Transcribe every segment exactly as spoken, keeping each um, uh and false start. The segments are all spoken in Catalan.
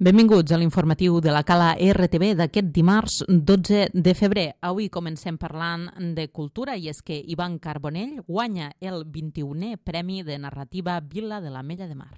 Benvinguts a l'informatiu de la Cala R T V d'aquest dimarts dotze de febrer. Avui comencem parlant de cultura i és que Ivan Carbonell guanya el vint-i-unè Premi de Narrativa Vila de l'Ametlla de Mar.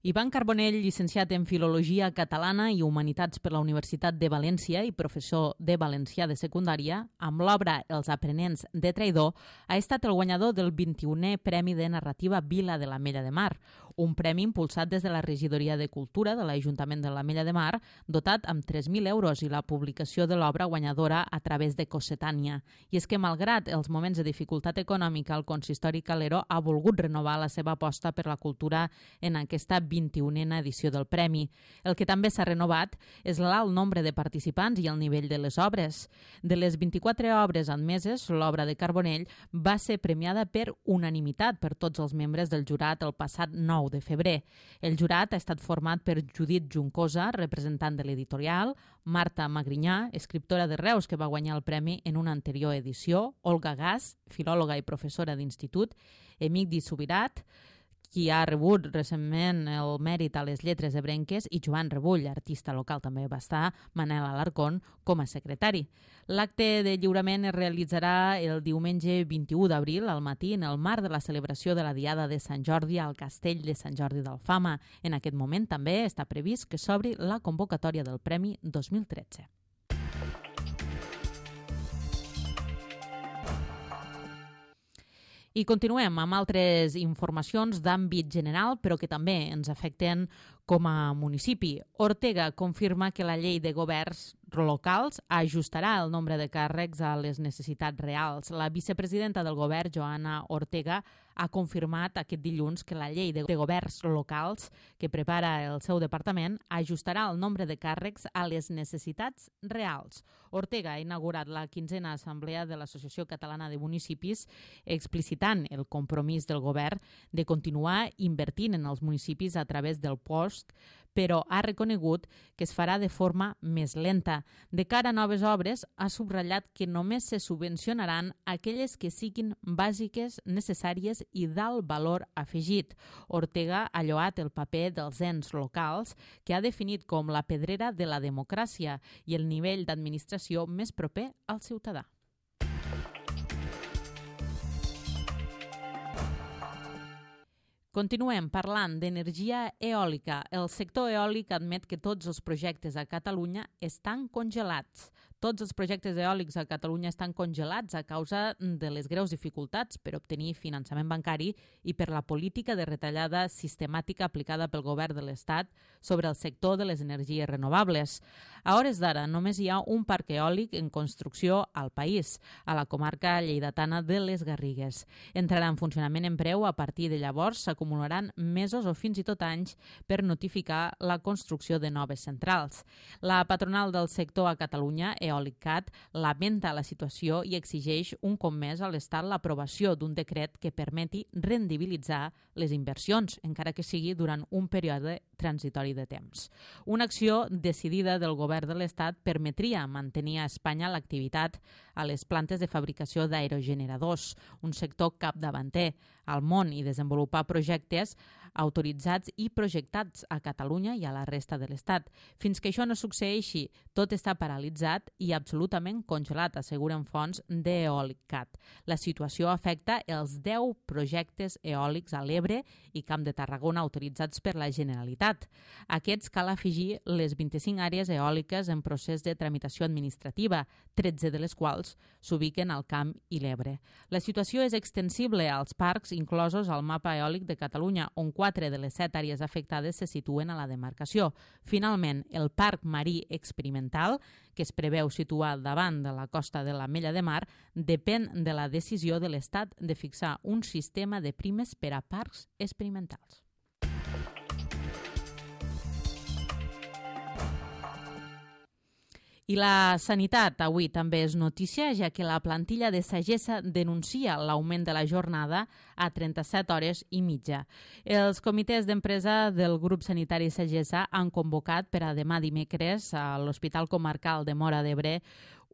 Ivan Carbonell, llicenciat en Filologia Catalana i Humanitats per la Universitat de València i professor de valencià de secundària, amb l'obra Els aprenents de traïdor, ha estat el guanyador del vint-i-unè Premi de Narrativa Vila de l'Ametlla de Mar, un premi impulsat des de la Regidoria de Cultura de l'Ajuntament de l'Ametlla de Mar, dotat amb tres mil euros i la publicació de l'obra guanyadora a través de Cossetània. I és que, malgrat els moments de dificultat econòmica, el consistori Calero ha volgut renovar la seva aposta per la cultura en aquesta vint-i-unena edició del Premi. El que també s'ha renovat és l'alt nombre de participants i el nivell de les obres. De les vint-i-quatre obres admeses, l'obra de Carbonell va ser premiada per unanimitat per tots els membres del jurat el passat nou de febrer. El jurat ha estat format per Judit Juncosa, representant de l'editorial, Marta Magrinyà, escriptora de Reus que va guanyar el premi en una anterior edició, Olga Gas, filòloga i professora d'institut, Emigdi Subirat, qui ha rebut recentment el mèrit a les lletres ebrenques, i Joan Rebull, artista local, també va estar Manel Alarcón com a secretari. L'acte de lliurament es realitzarà el diumenge vint-i-u d'abril al matí en el marc de la celebració de la Diada de Sant Jordi al Castell de Sant Jordi d'Alfama. En aquest moment també està previst que s'obri la convocatòria del Premi dos mil tretze. I continuem amb altres informacions d'àmbit general, però que també ens afecten com a municipi. Ortega confirma que la llei de governs locals ajustarà el nombre de càrrecs a les necessitats reals. La vicepresidenta del govern, Joana Ortega, ha confirmat aquest dilluns que la llei de governs locals que prepara el seu departament ajustarà el nombre de càrrecs a les necessitats reals. Ortega ha inaugurat la quinzena assemblea de l'Associació Catalana de Municipis, explicitant el compromís del govern de continuar invertint en els municipis a través del post, però ha reconegut que es farà de forma més lenta. De cara a noves obres, ha subratllat que només se subvencionaran aquelles que siguin bàsiques, necessàries i d'alt valor afegit. Ortega ha lloat el paper dels ens locals, que ha definit com la pedrera de la democràcia i el nivell d'administració més proper al ciutadà. Continuem parlant d'energia eòlica. El sector eòlic admet que tots els projectes a Catalunya estan congelats. Tots els projectes eòlics a Catalunya estan congelats a causa de les greus dificultats per obtenir finançament bancari i per la política de retallada sistemàtica aplicada pel govern de l'Estat sobre el sector de les energies renovables. A hores d'ara només hi ha un parc eòlic en construcció al país, a la comarca lleidatana de les Garrigues. Entrarà en funcionament en breu. A partir de llavors s'acumularan mesos o fins i tot anys per notificar la construcció de noves centrals. La patronal del sector a Catalunya, Eòlicat, lamenta la situació i exigeix un cop més a l'Estat l'aprovació d'un decret que permeti rendibilitzar les inversions, encara que sigui durant un període transitori de temps. Una acció decidida del govern de l'Estat permetria mantenir a Espanya l'activitat a les plantes de fabricació d'aerogeneradors, un sector capdavanter al món, i desenvolupar projectes autoritzats i projectats a Catalunya i a la resta de l'Estat. Fins que això no succeeixi, tot està paralitzat i absolutament congelat, asseguren fonts d'Eòlicat. La situació afecta els deu projectes eòlics a l'Ebre i Camp de Tarragona autoritzats per la Generalitat. A aquests cal afegir les vint-i-cinc àrees eòliques en procés de tramitació administrativa, tretze de les quals s'ubiquen al Camp i l'Ebre. La situació és extensible als parcs inclosos al mapa eòlic de Catalunya, on quatre de les set àrees afectades se situen a la demarcació. Finalment, el Parc Marí Experimental, que es preveu situar davant de la costa de l'Ametlla de Mar, depèn de la decisió de l'Estat de fixar un sistema de primes per a parcs experimentals. I la sanitat avui també és notícia, ja que la plantilla de Sagessa denuncia l'augment de la jornada a trenta-set hores i mitja. Els comitès d'empresa del grup sanitari Sagessa han convocat per a demà dimecres a l'Hospital Comarcal de Móra d'Ebre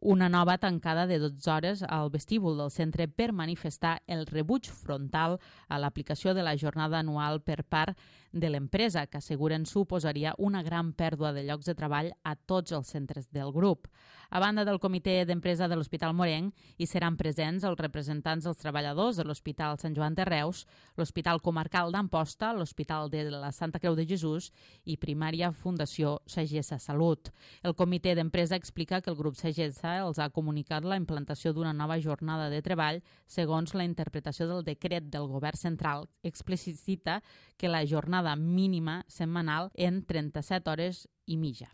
una nova tancada de dotze hores al vestíbul del centre per manifestar el rebuig frontal a l'aplicació de la jornada anual per part de l'empresa, que asseguren suposaria una gran pèrdua de llocs de treball a tots els centres del grup. A banda del comitè d'empresa de l'Hospital Morenc, hi seran presents els representants dels treballadors de l'Hospital Sant Joan de Reus, l'Hospital Comarcal d'Amposta, l'Hospital de la Santa Creu de Jesús i Primària Fundació Sagessa Salut. El comitè d'empresa explica que el grup Sagessa els ha comunicat la implantació d'una nova jornada de treball segons la interpretació del decret del Govern central. Explicita que la jornada mínima setmanal en trenta-set hores i mitja.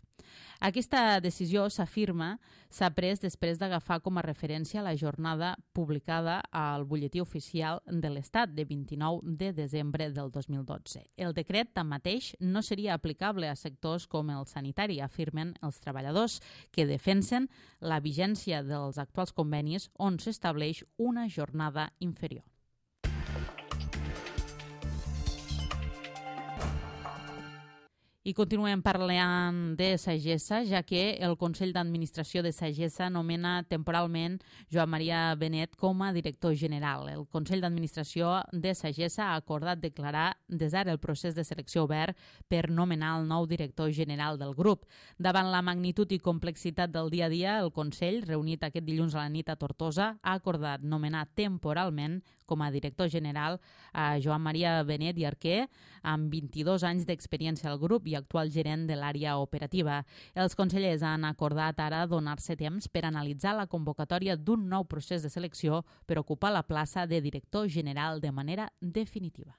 Aquesta decisió, s'afirma, s'ha pres després d'agafar com a referència la jornada publicada al Butlletí Oficial de l'Estat de vint-i-nou de desembre del dos mil dotze. El decret, tanmateix, no seria aplicable a sectors com el sanitari, afirmen els treballadors, que defensen la vigència dels actuals convenis on s'estableix una jornada inferior. I continuem parlant de Sagessa, ja que el Consell d'Administració de Sagessa nomena temporalment Joan Maria Benet com a director general. El Consell d'Administració de Sagessa ha acordat declarar des d'ara el procés de selecció obert per nomenar el nou director general del grup. Davant la magnitud i complexitat del dia a dia, el Consell, reunit aquest dilluns a la nit a Tortosa, ha acordat nomenar temporalment com a director general a Joan Maria Benet i Arquer, amb vint-i-dos anys d'experiència al grup i actual gerent de l'àrea operativa. Els consellers han acordat ara donar-se temps per analitzar la convocatòria d'un nou procés de selecció per ocupar la plaça de director general de manera definitiva.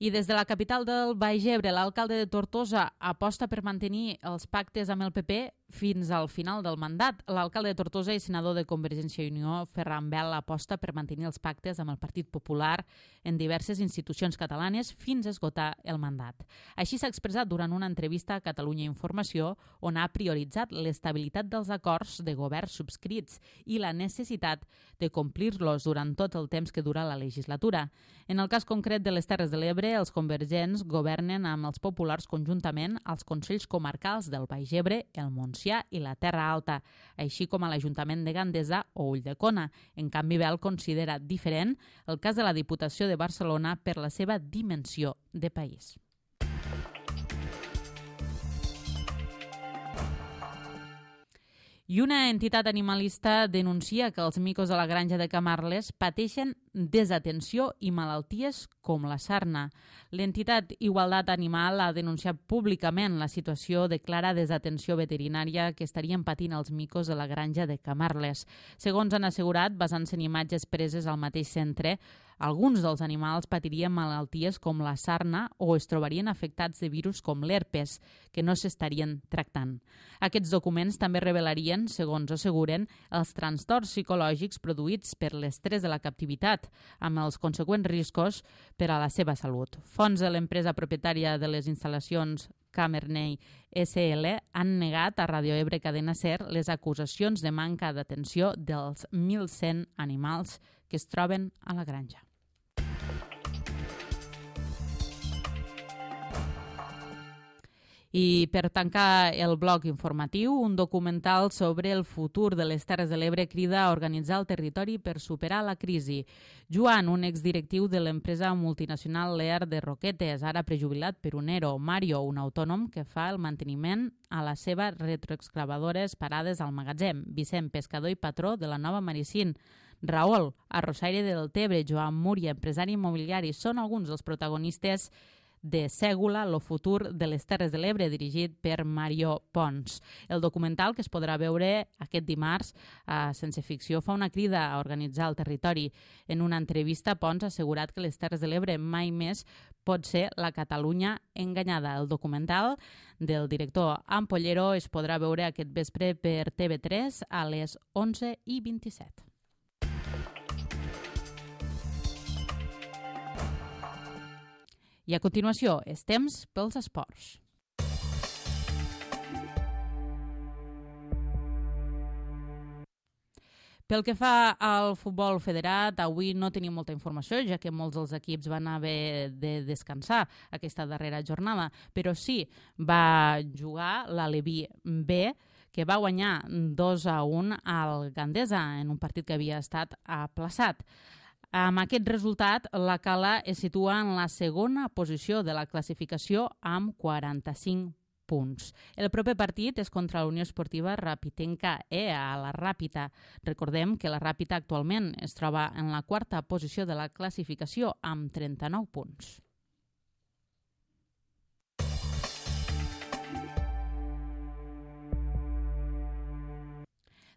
I des de la capital del Baix Ebre, l'alcalde de Tortosa aposta per mantenir els pactes amb el P P fins al final del mandat. L'alcalde de Tortosa i senador de Convergència i Unió, Ferran Bel, aposta per mantenir els pactes amb el Partit Popular en diverses institucions catalanes fins a esgotar el mandat. Així s'ha expressat durant una entrevista a Catalunya Informació, on ha prioritzat l'estabilitat dels acords de govern subscrits i la necessitat de complir-los durant tot el temps que dura la legislatura. En el cas concret de les Terres de l'Ebre, els convergents governen amb els populars conjuntament als Consells Comarcals del Baix Ebre, el Montsià i la Terra Alta, així com a l'Ajuntament de Gandesa o Ulldecona. En canvi, Bel considera diferent el cas de la Diputació de Barcelona per la seva dimensió de país. I una entitat animalista denuncia que els micos de la granja de Camarles pateixen desatenció i malalties com la sarna. L'entitat Igualtat Animal ha denunciat públicament la situació de clara desatenció veterinària que estarien patint els micos de la granja de Camarles. Segons han assegurat, basant-se en imatges preses al mateix centre, alguns dels animals patirien malalties com la sarna o es trobarien afectats de virus com l'herpes, que no s'estarien tractant. Aquests documents també revelarien, segons asseguren, els trastorns psicològics produïts per l'estrès de la captivitat, amb els conseqüents riscos per a la seva salut. Fonts de l'empresa propietària de les instal·lacions Camerney S L han negat a Radio Ebre Cadena Ser les acusacions de manca d'atenció dels mil cent animals que es troben a la granja. I per tancar el bloc informatiu, un documental sobre el futur de les Terres de l'Ebre crida a organitzar el territori per superar la crisi. Joan, un exdirectiu de l'empresa multinacional Lear de Roquetes, ara prejubilat per un E R O. Mario, un autònom que fa el manteniment a les seves retroexcavadores parades al magatzem. Vicent, pescador i patró de la Nova Maricín. Raül, arrossaire del Tebre. Joan Múria, empresari immobiliari. Són alguns dels protagonistes de Sègula, lo futur de les Terres de l'Ebre, dirigit per Mario Pons. El documental, que es podrà veure aquest dimarts a Sense Ficció, fa una crida a organitzar el territori. En una entrevista, Pons ha assegurat que les Terres de l'Ebre mai més pot ser la Catalunya enganyada. El documental del director Ampollero es podrà veure aquest vespre per T V tres a les onze i vint-i-set. I a continuació, és temps pels esports. Pel que fa al futbol federat, avui no tenim molta informació, ja que molts dels equips van haver de descansar aquesta darrera jornada, però sí va jugar l'Aleví B, que va guanyar dos a un al Gandesa en un partit que havia estat aplaçat. Amb aquest resultat, la Cala es situa en la segona posició de la classificació amb quaranta-cinc punts. El proper partit és contra la Unió Esportiva Rapitenca E, a la Ràpita. Recordem que la Ràpita actualment es troba en la quarta posició de la classificació amb trenta-nou punts.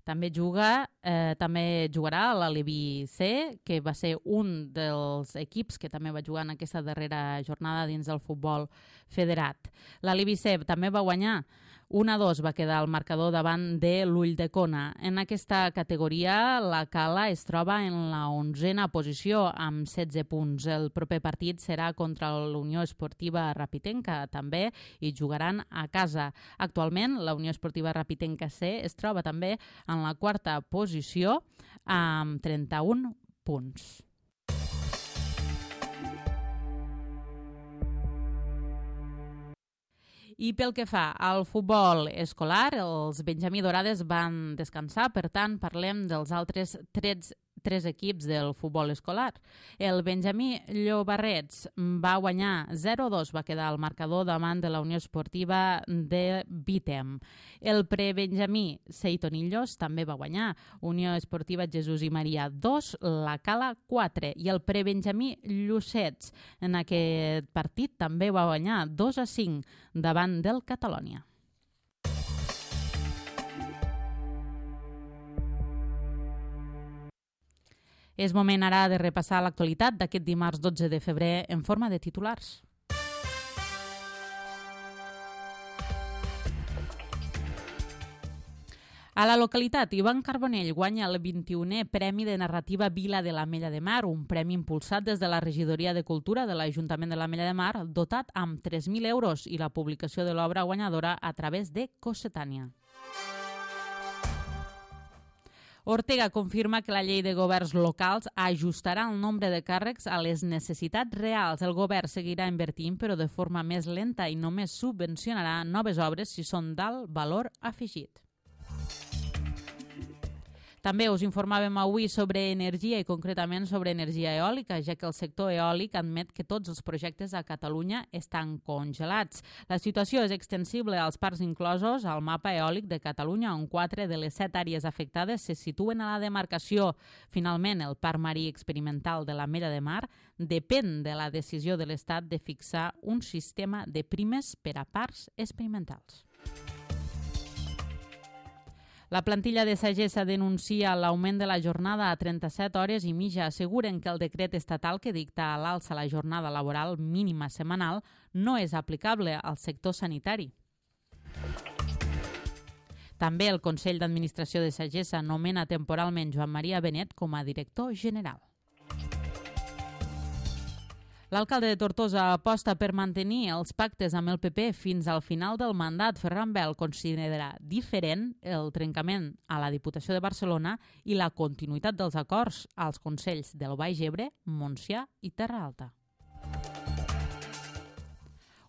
També juga, eh, també jugarà l'Aleví C, que va ser un dels equips que també va jugar en aquesta darrera jornada dins del futbol federat. L'Aleví C també va guanyar un a dos, va quedar el marcador davant de l'Ulldecona. En aquesta categoria, la Cala es troba en la onzena posició amb setze punts. El proper partit serà contra la Unió Esportiva Rapitenca, també, i jugaran a casa. Actualment, la Unió Esportiva Rapitenca C es troba també en la quarta posició amb trenta-un punts. I pel que fa al futbol escolar, els Benjamí Dorades van descansar, per tant, parlem dels altres tres, tres equips del futbol escolar. El Benjamí Llobarrets va guanyar zero a dos, va quedar el marcador davant de la Unió Esportiva de Vítem. El prebenjamí Seitonillos també va guanyar, Unió Esportiva Jesús i Maria dos, la Cala quatre, i el prebenjamí Llucets en aquest partit també va guanyar dos a cinc davant del Catalònia. És moment ara de repassar l'actualitat d'aquest dimarts dotze de febrer en forma de titulars. A la localitat, Ivan Carbonell guanya el vint-i-unè Premi de Narrativa Vila de l'Ametlla de Mar, un premi impulsat des de la Regidoria de Cultura de l'Ajuntament de l'Ametlla de Mar, dotat amb tres mil euros i la publicació de l'obra guanyadora a través de Cossetània. Ortega confirma que la llei de governs locals ajustarà el nombre de càrrecs a les necessitats reals. El govern seguirà invertint, però de forma més lenta, i només subvencionarà noves obres si són d'alt valor afegit. També us informàvem avui sobre energia i concretament sobre energia eòlica, ja que el sector eòlic admet que tots els projectes a Catalunya estan congelats. La situació és extensible als parcs inclosos al mapa eòlic de Catalunya, on quatre de les set àrees afectades se situen a la demarcació. Finalment, el Parc Marí Experimental de l'Ametlla de Mar depèn de la decisió de l'Estat de fixar un sistema de primes per a parcs experimentals. La plantilla de Sagessa denuncia l'augment de la jornada a trenta-set hores i mitja. Asseguren que el decret estatal que dicta a l'alça la jornada laboral mínima setmanal no és aplicable al sector sanitari. També el Consell d'Administració de Sagessa nomena temporalment Joan Maria Benet com a director general. L'alcalde de Tortosa aposta per mantenir els pactes amb el P P fins al final del mandat. Ferran Bel considera diferent el trencament a la Diputació de Barcelona i la continuïtat dels acords als consells del Baix Ebre, Montsià i Terra Alta.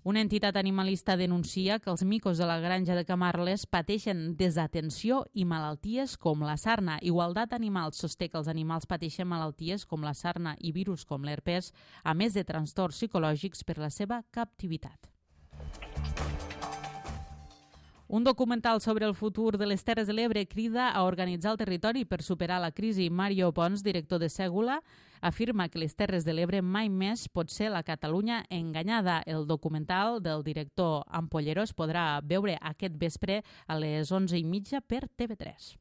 Una entitat animalista denuncia que els micos de la granja de Camarles pateixen desatenció i malalties com la sarna. Igualtat Animals sosté que els animals pateixen malalties com la sarna i virus com l'herpes, a més de trastorns psicològics per la seva captivitat. Un documental sobre el futur de les Terres de l'Ebre crida a organitzar el territori per superar la crisi. Mario Pons, director de Ségula, afirma que les Terres de l'Ebre mai més pot ser la Catalunya enganyada. El documental del director Ampollero es podrà veure aquest vespre a les onze i mitja per T V tres.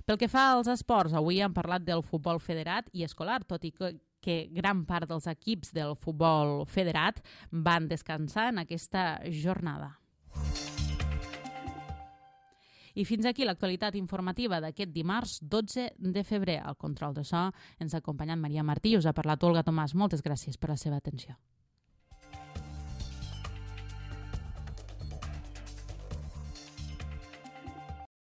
Pel que fa als esports, avui hem parlat del futbol federat i escolar, tot i que que gran part dels equips del futbol federat van descansar en aquesta jornada. I fins aquí l'actualitat informativa d'aquest dimarts dotze de febrer. Al control de so ens ha acompanyat Maria Martí i us ha parlat Olga Tomàs. Moltes gràcies per la seva atenció.